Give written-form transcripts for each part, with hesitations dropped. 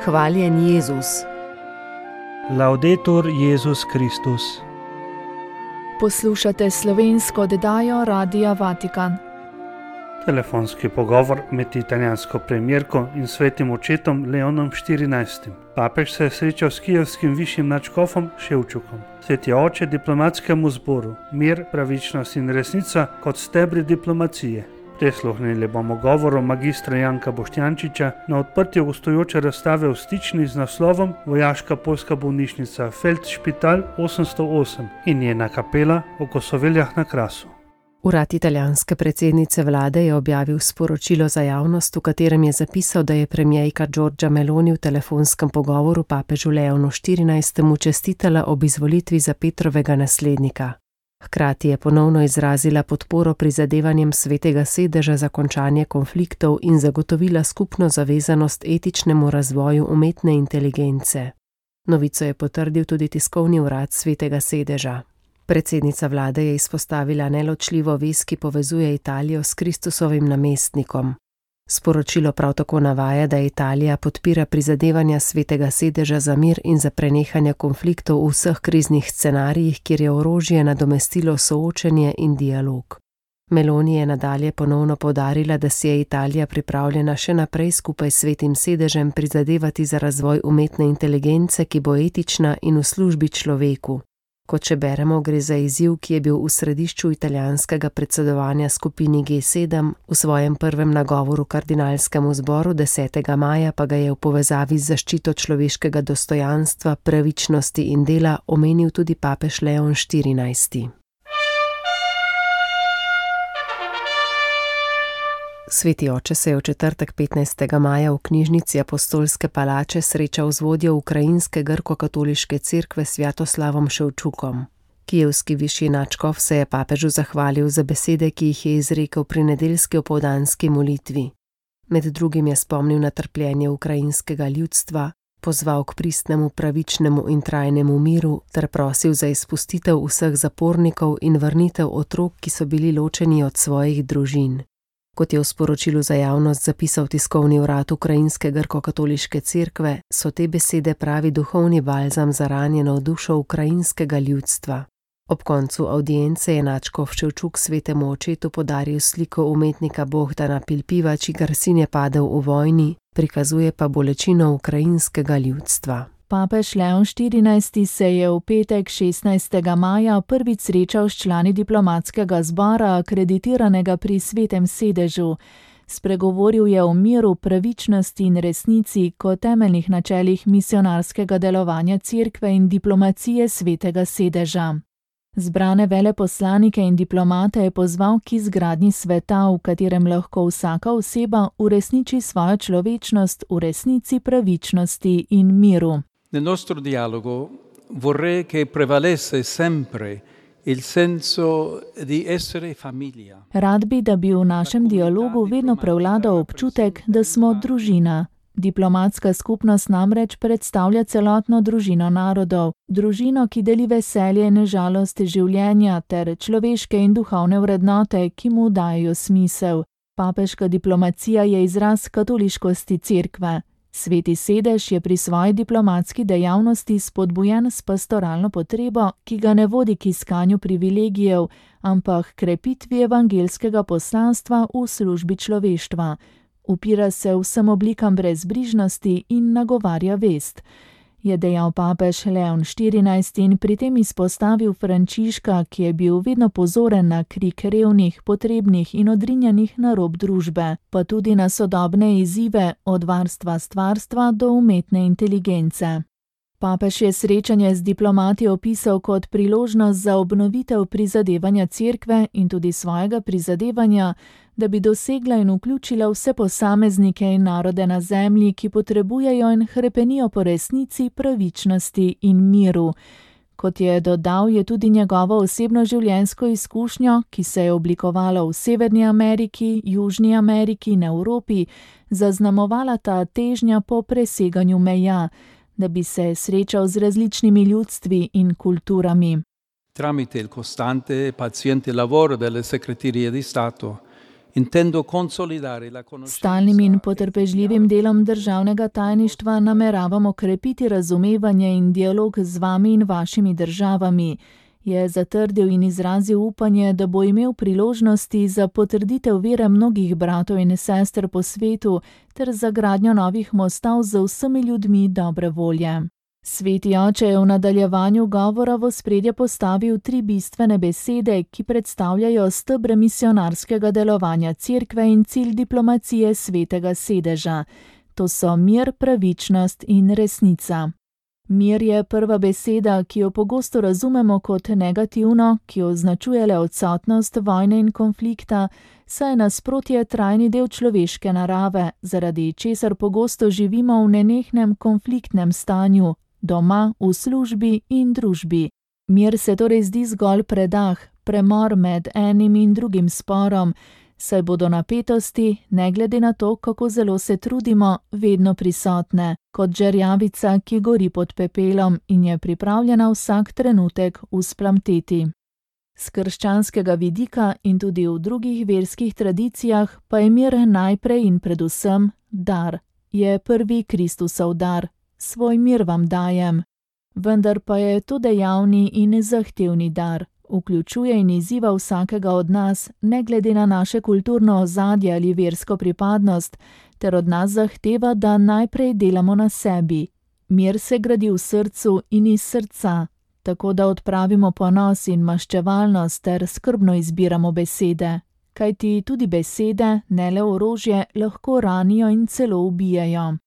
Hvaljen Jezus. Laudetur Jezus Kristus. Poslušate slovensko oddajo Radia Vatikan. Telefonski pogovor med italijansko premijerko in svetim očetom Leonom XIV. Papež se je srečal s kijevskim višjim nadškofom Ševčukom. Sveti oče diplomatskemu zboru, mir, pravičnost in resnica kot stebri diplomacije. Prisluhnili bomo govoru magistra Janka Boštjančiča na odprtju gostujoče razstave v Stični z naslovom Vojaška poljska bolnišnica Feldšpital 808 in njena kapela v Kosoveljah na Krasu. Urad italijanske predsednice vlade je objavil sporočilo za javnost, v katerem je zapisal, da je premijejka Giorgia Meloni v telefonskem pogovoru papežu Leonu XIV čestitala ob izvolitvi za Petrovega naslednika. Hkrati je ponovno izrazila podporo prizadevanjem Svetega sedeža za končanje konfliktov in zagotovila skupno zavezanost etičnemu razvoju umetne inteligence. Novico je potrdil tudi tiskovni urad Svetega sedeža. Predsednica vlade je izpostavila neločljivo vez, ki povezuje Italijo s Kristusovim namestnikom. Sporočilo prav tako navaja, da Italija podpira prizadevanja Svetega sedeža za mir in za prenehanje konfliktov v vseh kriznih scenarijih, kjer je orožje nadomestilo soočenje in dialog. Meloni je nadalje ponovno poudarila, da si je Italija pripravljena še naprej skupaj s Svetim sedežem prizadevati za razvoj umetne inteligence, ki bo etična in v službi človeku. Kot še beremo, gre za izziv, ki je bil v središču italijanskega predsedovanja skupini G7, v svojem prvem nagovoru kardinalskemu zboru 10. maja pa ga je v povezavi z zaščito človeškega dostojanstva, pravičnosti in dela omenil tudi papež Leon XIV. Sveti oče se je v četrtek 15. maja v knjižnici Apostolske palače srečal z vodjo ukrajinske grko-katoliške cerkve Svjatoslavom Ševčukom. Kijevski višji nadškof se je papežu zahvalil za besede, ki jih je izrekel pri nedeljski opoldanski molitvi. Med drugim je spomnil na trpljenje ukrajinskega ljudstva, pozval k pristnemu, pravičnemu in trajnemu miru ter prosil za izpustitev vseh zapornikov in vrnitev otrok, ki so bili ločeni od svojih družin. Kot je v sporočilu za javnost zapisal tiskovni urad Ukrajinske grko-katoliške cerkve, so te besede pravi duhovni balzam za ranjeno dušo ukrajinskega ljudstva. Ob koncu avdience je nadškof Ševčuk svetemu očetu podaril sliko umetnika Bohdana Pilpiva, čigar sin je padel v vojni, prikazuje pa bolečino ukrajinskega ljudstva. Papež Leon XIV se je v petek 16. maja prvič srečal s člani diplomatskega zbora, akreditiranega pri Svetem sedežu. Spregovoril je o miru, pravičnosti in resnici kot temeljnih načelih misionarskega delovanja cerkve in diplomacije Svetega sedeža. Zbrane veleposlanike in diplomate je pozval k izgradnji sveta, v katerem lahko vsaka oseba uresniči svojo človečnost v resnici, pravičnosti in miru. Nel nostro dialogo vorrei che prevalesse sempre il senso di essere famiglia. Rad bi, da bi v našem dialogu vedno prevladal občutek, da smo družina. Diplomatska skupnost namreč predstavlja celotno družino narodov, družino, ki deli veselje in žalost življenja ter človeške in duhovne vrednote, ki mu dajo smisel. Papeška diplomacija je izraz katoliškosti cerkve. Sveti sedež je pri svoji diplomatski dejavnosti spodbujen s pastoralno potrebo, ki ga ne vodi k iskanju privilegijev, ampak krepitvi evangelskega poslanstva v službi človeštva. Upira se vsem oblikam brezbrižnosti in nagovarja vest, je dejal papež Leon XIV in pri tem izpostavil Frančiška, ki je bil vedno pozoren na krik revnih, potrebnih in odrinjenih na rob družbe, pa tudi na sodobne izzive od varstva stvarstva do umetne inteligence. Papež je srečanje z diplomati opisal kot priložnost za obnovitev prizadevanja cerkve in tudi svojega prizadevanja, da bi dosegla in vključila vse posameznike in narode na zemlji, ki potrebujejo in hrepenijo po resnici, pravičnosti in miru. Kot je dodal, je tudi njegovo osebno življenjsko izkušnjo, ki se je oblikovala v Severni Ameriki, Južni Ameriki in Evropi, zaznamovala ta težnja po preseganju meja, da bi se srečal z različnimi ljudstvi in kulturami. Tramite il costante e paziente lavoro delle segreterie di Stato, intendo consolidare la conoscenza. Stalnim in potrpežljivim delom državnega tajništva nameravamo krepiti razumevanje in dialog z vami in vašimi državami, je zatrdil in izrazil upanje, da bo imel priložnosti za potrditev vere mnogih bratov in sester po svetu ter za gradnjo novih mostov z vsemi ljudmi dobre volje. Sveti oče je v nadaljevanju govora v ospredje postavil 3 bistvene besede, ki predstavljajo stebre misionarskega delovanja cerkve in cilj diplomacije svetega sedeža. To so mir, pravičnost in resnica. Mir je prva beseda, ki jo pogosto razumemo kot negativno, ki označuje le odsotnost vojne in konflikta, saj je nasprotje trajni del človeške narave, zaradi česar pogosto živimo v nenehnem konfliktnem stanju, doma, v službi in družbi. Mir se torej zdi zgolj predah, premor med enim in drugim sporom, saj bodo napetosti, ne glede na to, kako zelo se trudimo, vedno prisotne, kot žerjavica, ki gori pod pepelom in je pripravljena vsak trenutek vzplamteti. Z krščanskega vidika in tudi v drugih verskih tradicijah pa je mir najprej in predvsem dar, je prvi Kristusov dar. Svoj mir vam dajem. Vendar pa je to dejavni in zahtevni dar. Vključuje in izziva vsakega od nas, ne glede na naše kulturno ozadje ali versko pripadnost, ter od nas zahteva, da najprej delamo na sebi. Mir se gradi v srcu in iz srca, tako da odpravimo ponos in maščevalnost ter skrbno izbiramo besede. Kajti tudi besede, ne le orožje, lahko ranijo in celo ubijajo.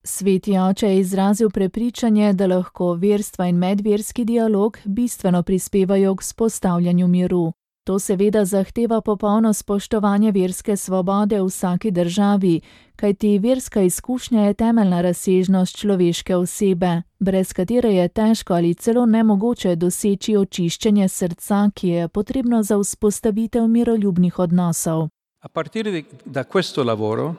Sveti oče je izrazil prepričanje, da lahko verstva in medverski dialog bistveno prispevajo k vzpostavljanju miru. To seveda zahteva popolno spoštovanje verske svobode v vsaki državi, kajti verska izkušnja je temeljna razsežnost človeške osebe, brez katere je težko ali celo nemogoče doseči očiščenje srca, ki je potrebno za vzpostavitev miroljubnih odnosov. A partire da questo lavoro,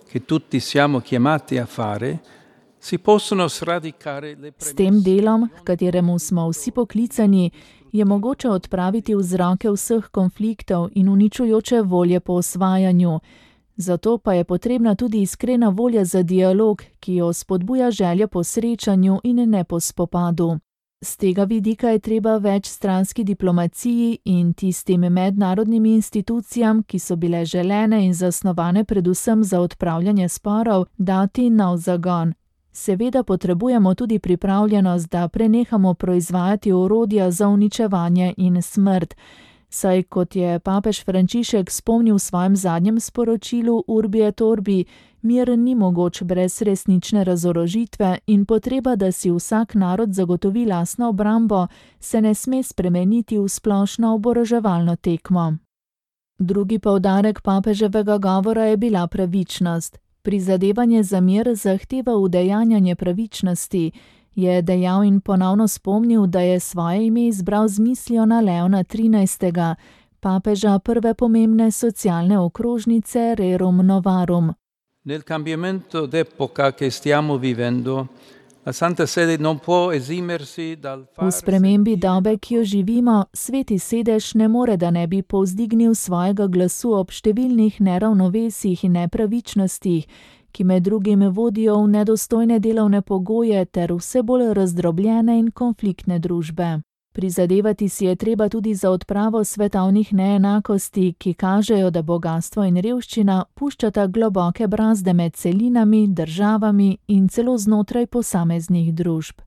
che tutti siamo chiamati a fare, si possono sradicare le premesse. S tem delom, k kateremu smo vsi poklicani, je mogoče odpraviti vzroke vseh konfliktov in uničujoče volje po osvajanju. Zato pa je potrebna tudi iskrena volja za dialog, ki jo spodbuja želja po srečanju in ne po spopadu. Z tega vidika je treba večstranski diplomaciji in tistim mednarodnim institucijam, ki so bile želene in zasnovane predvsem za odpravljanje sporov, dati nov zagon. Seveda potrebujemo tudi pripravljenost, da prenehamo proizvajati orodja za uničevanje in smrt, saj kot je papež Frančišek spomnil v svojem zadnjem sporočilu Urbi et Orbi, mir ni mogoč brez resnične razorožitve in potreba, da si vsak narod zagotovi lastno obrambo, se ne sme spremeniti v splošno oboroževalno tekmo. Drugi poudarek papeževega govora je bila pravičnost. Prizadevanje za mir zahteva udejanjanje pravičnosti, je dejal in ponovno spomnil, da je svoje ime izbral z mislijo na Leona XIII., papeža prve pomembne socialne okrožnice Rerum Novarum. Nel cambiamento d'epoca che stiamo vivendo, la Santa Sede non può esimersi dal V spremembi dobe, ki jo živimo, Sveti sedež ne more, da ne bi povzdignil svojega glasu ob številnih neravnovesjih in nepravičnostih, ki med drugim vodijo v nedostojne delovne pogoje ter vse bolj razdrobljene in konfliktne družbe. Prizadevati si je treba tudi za odpravo svetovnih neenakosti, ki kažejo, da bogastvo in revščina puščata globoke brazde med celinami, državami in celo znotraj posameznih družb.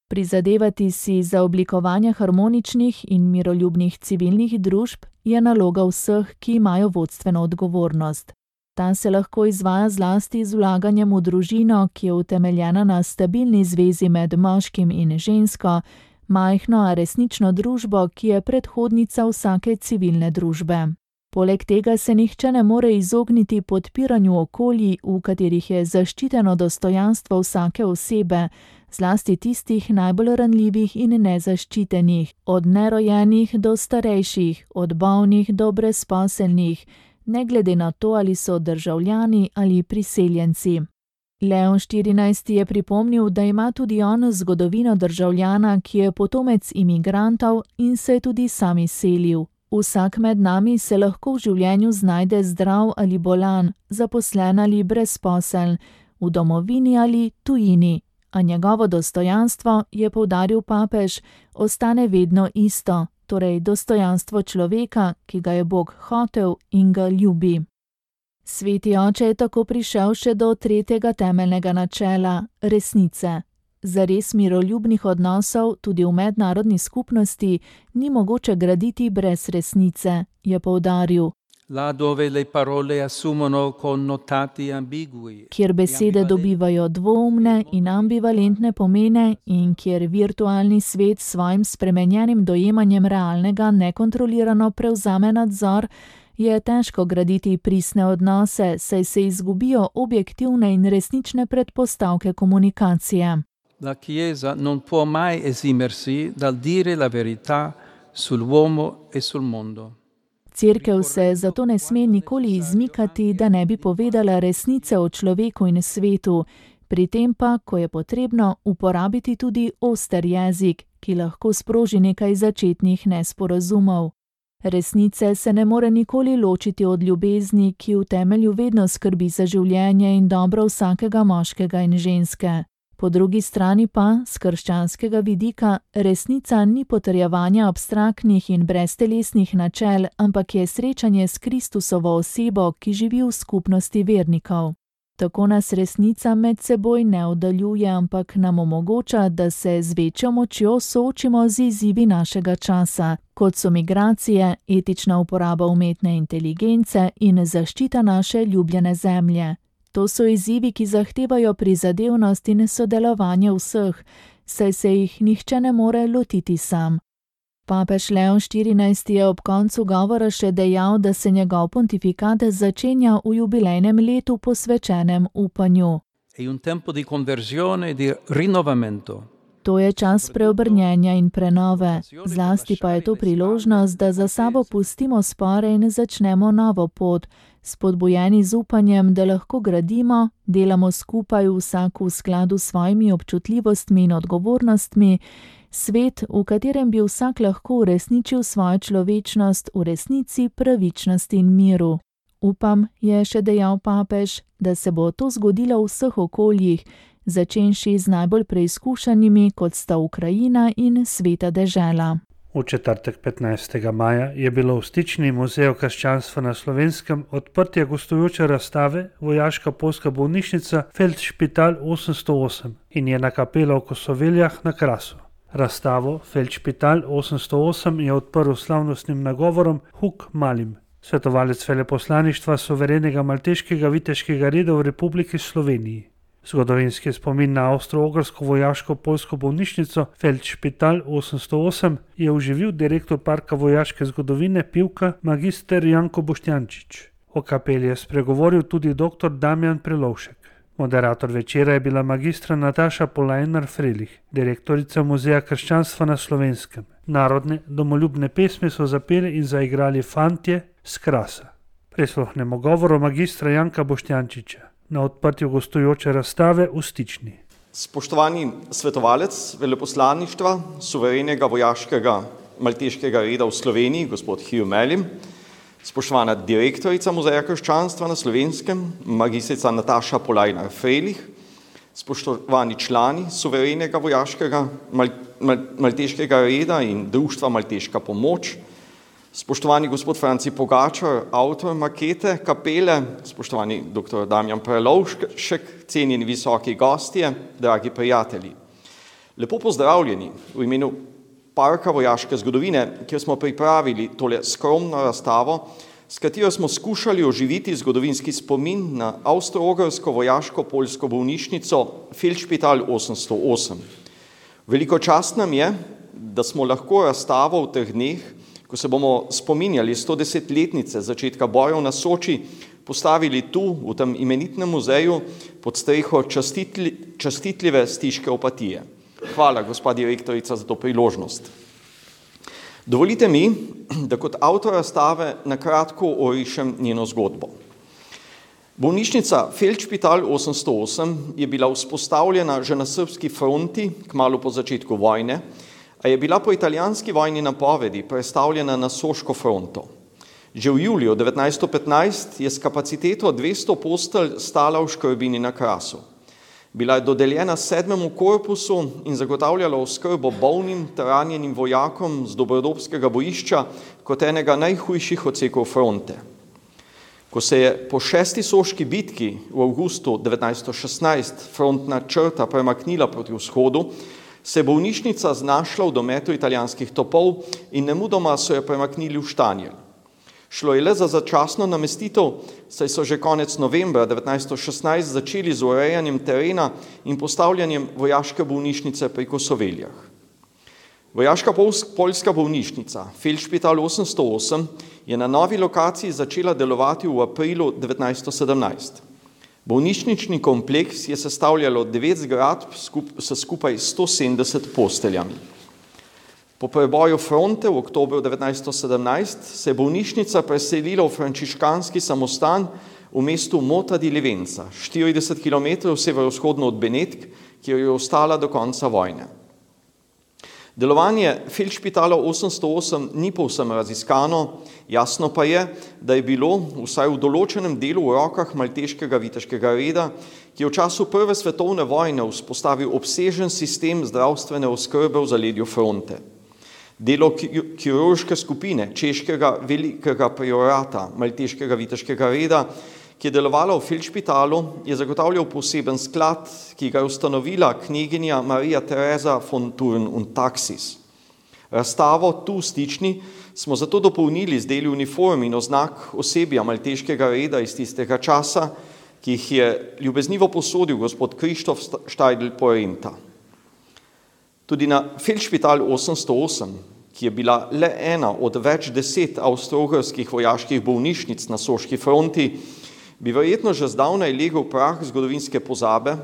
Prizadevati si za oblikovanje harmoničnih in miroljubnih civilnih družb je naloga vseh, ki imajo vodstveno odgovornost. Ta se lahko izvaja zlasti z vlaganjem v družino, ki je utemeljena na stabilni zvezi med moškim in žensko, majhno, a resnično družbo, ki je predhodnica vsake civilne družbe. Poleg tega se nihče ne more izogniti podpiranju okolij, v katerih je zaščiteno dostojanstvo vsake osebe, zlasti tistih najbolj ranljivih in nezaščitenih, od nerojenih do starejših, od bolnih do brezposelnih, ne glede na to, ali so državljani ali priseljenci. Leon XIV. Je pripomnil, da ima tudi on zgodovino državljana, ki je potomec imigrantov in se je tudi sam izselil. Vsak med nami se lahko v življenju znajde zdrav ali bolan, zaposlen ali brezposeln, v domovini ali tujini, a njegovo dostojanstvo, je poudaril papež, ostane vedno isto, torej dostojanstvo človeka, ki ga je Bog hotel in ga ljubi. Sveti oče je tako prišel še do tretjega temeljnega načela, resnice. Zares miroljubnih odnosov tudi v mednarodni skupnosti ni mogoče graditi brez resnice, je poudaril. Kjer besede dobivajo dvoumne in ambivalentne pomene in kjer virtualni svet s svojim spremenjenim dojemanjem realnega nekontrolirano prevzame nadzor, je težko graditi pristne odnose, saj se izgubijo objektivne in resnične predpostavke komunikacije. La Chiesa non può mai esimersi dal dire la verità sull'uomo e sul mondo. Cerkev se zato ne sme nikoli izmikati, da ne bi povedala resnice o človeku in svetu, pri tem pa, ko je potrebno, uporabiti tudi oster jezik, ki lahko sproži nekaj začetnih nesporazumov. Resnice se ne more nikoli ločiti od ljubezni, ki v temelju vedno skrbi za življenje in dobro vsakega moškega in ženske. Po drugi strani pa, z krščanskega vidika, resnica ni potrjevanje abstraktnih in breztelesnih načel, ampak je srečanje s Kristusovo osebo, ki živi v skupnosti vernikov. Tako nas resnica med seboj ne oddaljuje, ampak nam omogoča, da se z večjo močjo soočimo z izzivi našega časa, kot so migracije, etična uporaba umetne inteligence in zaščita naše ljubljene zemlje. To so izzivi, ki zahtevajo prizadevnost in sodelovanje vseh, saj se jih nihče ne more lotiti sam. Papež Leon XIV je ob koncu govora še dejal, da se njegov pontifikat začenja v jubilejnem letu posvečenem upanju. To je čas preobrnjenja in prenove, zlasti pa je to priložnost, da za sabo pustimo spore in začnemo novo pot, spodbujeni z upanjem, da lahko gradimo, delamo skupaj vsak v skladu s svojimi občutljivostmi in odgovornostmi, svet, v katerem bi vsak lahko uresničil svojo človečnost v resnici, pravičnosti in miru. Upam, je še dejal papež, da se bo to zgodilo v vseh okoljih, začenši z najbolj preizkušanimi, kot sta Ukrajina in Sveta dežela. V četrtek 15. maja je bilo v Stični muzeju krščanstva na Slovenskem odprtje gostujoče razstave Vojaška poljska bolnišnica Feldšpital 808 in njena kapela v Kosoveljah na Krasu. Razstavo Feldšpital 808 je odprl slavnostnim nagovorom Huk Malim, svetovalec veleposlaništva suverenega malteškega viteškega reda v Republiki Sloveniji. Zgodovinski spomin na avstro-ogrsko vojaško poljsko bolnišnico Feldšpital 808 je oživil direktor Parka vojaške zgodovine Pivka magister Janko Boštjančič. O kapeli je spregovoril tudi dr. Damjan Prelovšek. Moderator večera je bila magistra Nataša Polajnar-Frelih, direktorica Muzeja krščanstva na Slovenskem. Narodne domoljubne pesmi so zapeli in zaigrali fantje s Krasa. Prisluhnemo govoru magistra Janka Boštjančiča na odprtju gostujoče razstave v Stični. Spoštovani svetovalec veleposlaništva suverenega vojaškega malteškega reda v Sloveniji, gospod Hugh Malim, spoštovana direktorica Muzeja krščanstva na Slovenskem, magistrica Nataša Polajnar-Frelih, spoštovani člani suverenega vojaškega malteškega reda in društva Malteška pomoč, spoštovani gospod Franci Pogačar, avtor makete kapele, spoštovani dr. Damjan Prelovšek, cenjeni visoki gostje, dragi prijatelji. Lepo pozdravljeni v imenu Parka vojaške zgodovine, kjer smo pripravili tole skromno razstavo, s katero smo skušali oživiti zgodovinski spomin na avstro-ogrsko vojaško poljsko bolnišnico Feldšpital 808. Veliko čast nam je, da smo lahko razstavo v teh dneh, ko se bomo spominjali 110-letnice začetka bojev na Soči, postavili tu, v tem imenitnem muzeju, pod streho častitljive stiške opatije. Hvala, gospa direktorica, za to priložnost. Dovolite mi, da kot avtor razstave na kratko orišem njeno zgodbo. Bolnišnica Feldšpital 808 je bila vzpostavljena že na srbski fronti, kmalu po začetku vojne, a je bila po italijanski vojni napovedi prestavljena na Soško fronto. Že v juliju 1915 je s kapaciteto 200 postelj stala v Škrbini na Krasu. Bila je dodeljena 7. korpusu in zagotavljala oskrbo bolnim ter ranjenim vojakom z Dobrodobskega bojišča kot enega najhujših odsekov fronte. Ko se je po 6. soški bitki v avgustu 1916 frontna črta premaknila proti vzhodu, se je bolnišnica znašla v dometu italijanskih topov in nemudoma so jo premaknili v Štanjel. Šlo je le za začasno namestitev, saj so že konec novembra 1916 začeli z urejanjem terena in postavljanjem vojaške bolnišnice pri Kosoveljah. Vojaška poljska bolnišnica Feldspital 808 je na novi lokaciji začela delovati v aprilu 1917. Bolnišnični kompleks je sestavljalo 9 zgradb s skupaj 170 posteljami. Po preboju fronte v oktobru 1917 se je bolnišnica preselila v frančiškanski samostan v mestu Mota di Livenza, 40 km severovzhodno od Benetk, kjer je ostala do konca vojne. Delovanje Feldspitala 808 ni povsem raziskano, jasno pa je, da je bilo vsaj v določenem delu v rokah malteškega viteškega reda, ki je v času Prve svetovne vojne vzpostavil obsežen sistem zdravstvene oskrbe v zaledju fronte. Delo kirurške skupine češkega velikega priorata malteškega viteškega reda, ki je delovala v Feldspitalu, je zagotavljal poseben sklad, ki ga je ustanovila kneginja Marija Teresa von Thurn und Taxis. Razstavo Tu v Stični smo zato dopolnili z deli uniform in oznak osebja malteškega reda iz tistega časa, ki jih je ljubeznivo posodil gospod Krištof Štajdl Porenta. Tudi na Feldspital 808, ki je bila le ena od več 10 avstro-ogrskih vojaških bolnišnic na soški fronti, bi verjetno že zdavnaj legel prah zgodovinske pozabe,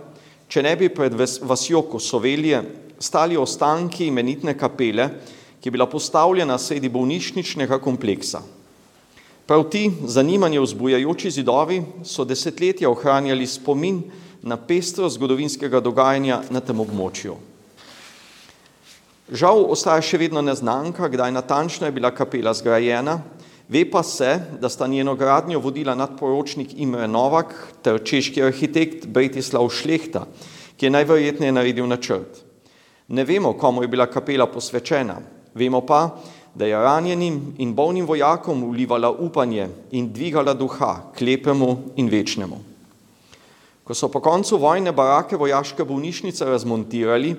če ne bi pred vasjo Kosovelje stali ostanki imenitne kapele, ki je bila postavljena sredi bolnišničnega kompleksa. Prav ti zanimanje vzbujajoči zidovi so desetletja ohranjali spomin na pestrost zgodovinskega dogajanja na tem območju. Žal ostaja še vedno neznanka, kdaj natančno je bila kapela zgrajena, ve pa se, da sta njeno gradnjo vodila nadporočnik Imre Novak ter češki arhitekt Bretislav Šlehta, ki je najverjetneje naredil načrt. Ne vemo, komu je bila kapela posvečena, vemo pa, da je ranjenim in bolnim vojakom vlivala upanje in dvigala duha k lepemu in večnemu. Ko so po koncu vojne barake vojaške bolnišnice razmontirali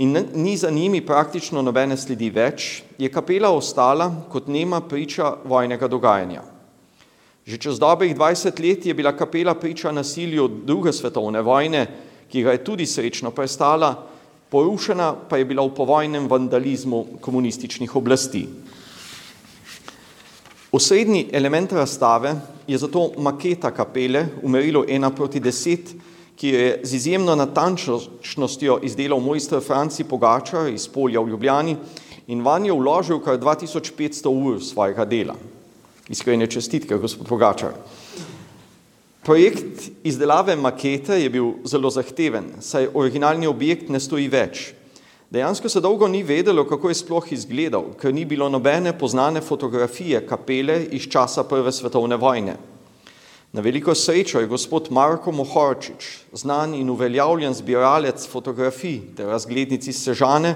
in ni za njimi praktično nobene sledi več, je kapela ostala kot nema priča vojnega dogajanja. Že čez dobrih 20 let je bila kapela priča nasilju druge svetovne vojne, ki ga je tudi srečno prestala, porušena pa je bila v povojnem vandalizmu komunističnih oblasti. Osrednji element razstave je zato maketa kapele v merilu 1:10, ki je z izjemno natančnostjo izdelal mojster Franci Pogačar iz Polja v Ljubljani in vanjo vložil kar 2500 ur svojega dela. Iskrene čestitke, gospod Pogačar. Projekt izdelave makete je bil zelo zahteven, saj originalni objekt ne stoji več. Dejansko se dolgo ni vedelo, kako je sploh izgledal, ker ni bilo nobene poznane fotografije kapele iz časa Prve svetovne vojne. Na veliko srečo je gospod Marko Mohorčič, znan in uveljavljen zbiralec fotografij ter razglednic iz Sežane,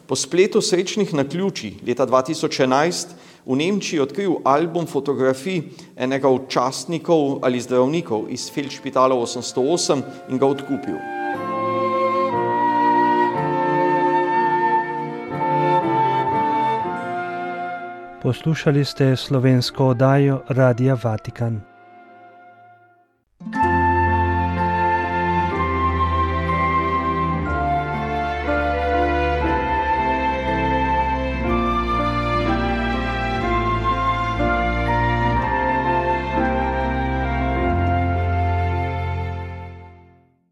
po spletu srečnih naključij leta 2011 v Nemčiji odkril album fotografij enega od častnikov ali zdravnikov iz Feldspitala 808 in ga odkupil. Poslušali ste slovensko oddajo Radia Vatikan.